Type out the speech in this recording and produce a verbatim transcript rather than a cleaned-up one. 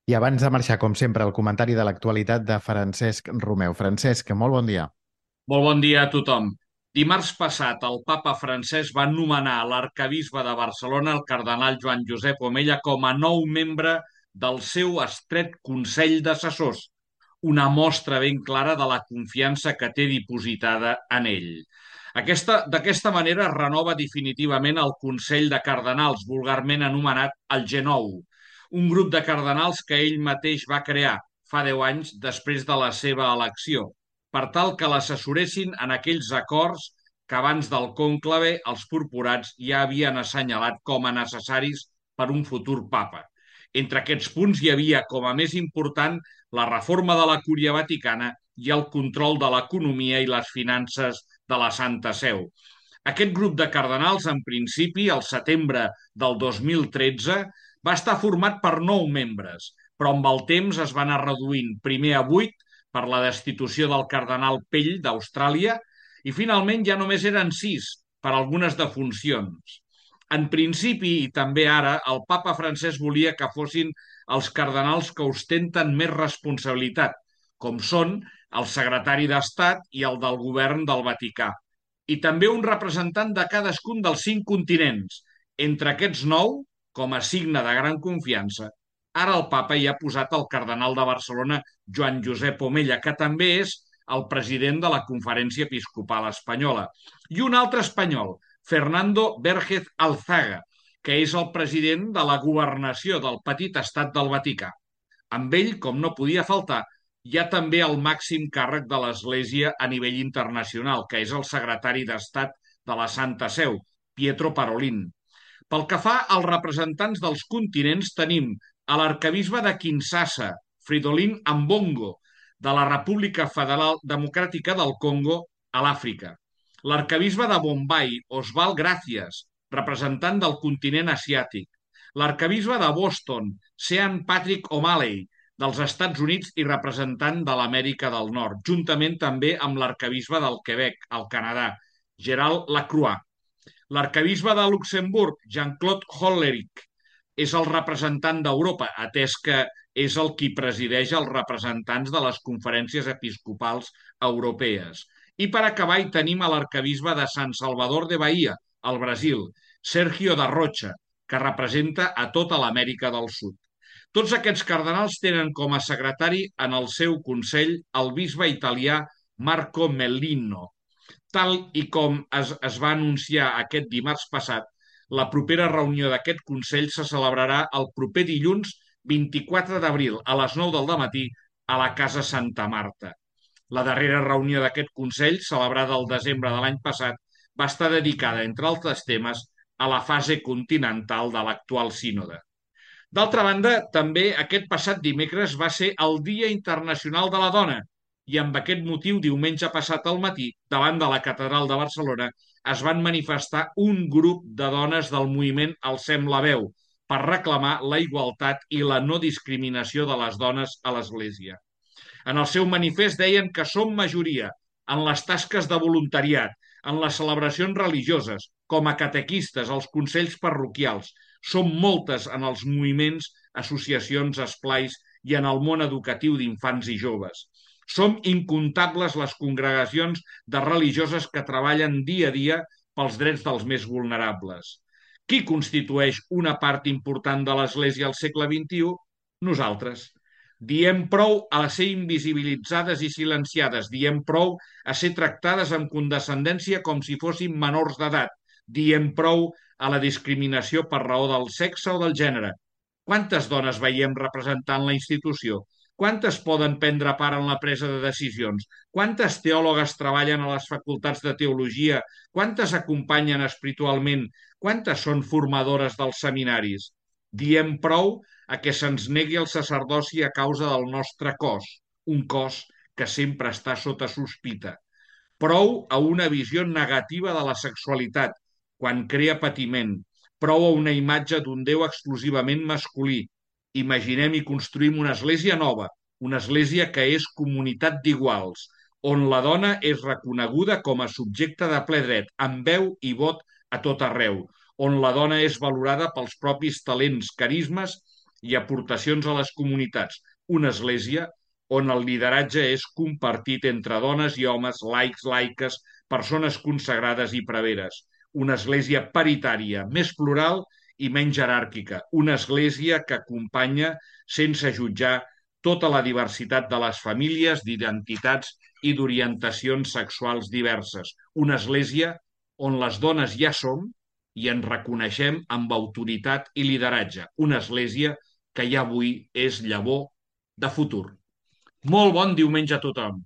I abans de marxar, com sempre, el comentari de l'actualitat de Francesc Romeu. Francesc, molt bon dia. Molt bon dia a tothom. Dimarts passat, el papa francès va nomenar l'arcabisbe de Barcelona, el cardenal Joan Josep Omella, com a nou membre del seu estret Consell d'Assessors, una mostra ben clara de la confiança que té dipositada en ell. Aquesta, d'aquesta manera es renova definitivament el Consell de Cardenals, vulgarment anomenat el G nou, un grup de cardenals que ell mateix va crear fa deu anys després de la seva elecció, per tal que l'assessoressin en aquells acords que abans del conclave els purpurats ja havien assenyalat com a necessaris per un futur papa. Entre aquests punts hi havia com a més important la reforma de la Cúria Vaticana i el control de l'economia i les finances de la Santa Seu. Aquest grup de cardenals, en principi, al setembre del dos mil tretze, va estar format per nou membres, però amb el temps es va anar reduint primer a vuit per la destitució del cardenal Pell d'Austràlia i finalment ja només eren sis per algunes defuncions. En principi, i també ara, el papa francès volia que fossin els cardenals que ostenten més responsabilitat, com són el secretari d'Estat i el del govern del Vaticà, i també un representant de cadascun dels cinc continents. Entre aquests nou, com a signe de gran confiança, ara el papa hi ha posat el cardenal de Barcelona, Joan Josep Omella, que també és el president de la Conferència Episcopal Espanyola, i un altre espanyol, Fernando Vérgez Alzaga, que és el president de la governació del petit estat del Vaticà. Amb ell, com no podia faltar, hi ha també el màxim càrrec de l'Església a nivell internacional, que és el secretari d'Estat de la Santa Seu, Pietro Parolin. Pel que fa als representants dels continents, tenim a l'arcabisbe de Kinshasa, Fridolin Ambongo, de la República Federal Democràtica del Congo, a l'Àfrica. L'arcabisbe de Bombay, Oswald Gracias, representant del continent asiàtic. L'arcabisbe de Boston, Sean Patrick O'Malley, dels Estats Units i representant de l'Amèrica del Nord, juntament també amb l'arcabisbe del Quebec, al Canadà, Gerald Lacroix. L'arcabisbe de Luxemburg, Jean-Claude Hollerich, és el representant d'Europa, atès que és el qui presideix els representants de les conferències episcopals europees. I per acabar hi tenim a l'arcabisbe de San Salvador de Bahia, al Brasil, Sergio da Rocha, que representa a tota l'Amèrica del Sud. Tots aquests cardenals tenen com a secretari en el seu consell el bisbe italià Marco Mellino. Tal i com es, es va anunciar aquest dimarts passat, la propera reunió d'aquest Consell se celebrarà el proper dilluns vint-i-quatre d'abril a les nou del matí a la Casa Santa Marta. La darrera reunió d'aquest Consell, celebrada el desembre de l'any passat, va estar dedicada, entre altres temes, a la fase continental de l'actual sínode. D'altra banda, també aquest passat dimecres va ser el Dia Internacional de la Dona i amb aquest motiu, diumenge passat al matí, davant de la Catedral de Barcelona, es van manifestar un grup de dones del moviment Alcem la veu per reclamar la igualtat i la no discriminació de les dones a l'Església. En el seu manifest deien que som majoria en les tasques de voluntariat, en les celebracions religioses, com a catequistes, als consells parroquials. Som moltes en els moviments, associacions, esplais i en el món educatiu d'infants i joves. Som incomptables les congregacions de religioses que treballen dia a dia pels drets dels més vulnerables. Qui constitueix una part important de l'Església al segle vint-i-u? Nosaltres. Diem prou a ser invisibilitzades i silenciades. Diem prou a ser tractades amb condescendència com si fossin menors d'edat. Diem prou a la discriminació per raó del sexe o del gènere. Quantes dones veiem representant la institució? Quantes poden prendre part en la presa de decisions? Quantes teòlogues treballen a les facultats de teologia? Quantes acompanyen espiritualment? Quantes són formadores dels seminaris? Diem prou a que se'ns negui el sacerdoci a causa del nostre cos, un cos que sempre està sota sospita. Prou a una visió negativa de la sexualitat, quan crea patiment. Prou a una imatge d'un Déu exclusivament masculí. Imaginem i construïm una església nova, una església que és comunitat d'iguals, on la dona és reconeguda com a subjecte de ple dret, amb veu i vot a tot arreu, on la dona és valorada pels propis talents, carismes i aportacions a les comunitats. Una església on el lideratge és compartit entre dones i homes, laics, laiques, persones consagrades i preveres. Una església paritària, més plural i menys jeràrquica. Una església que acompanya sense jutjar tota la diversitat de les famílies, d'identitats i d'orientacions sexuals diverses. Una església on les dones ja som i ens reconeixem amb autoritat i lideratge. Una església que ja avui és llavor de futur. Molt bon diumenge a tothom.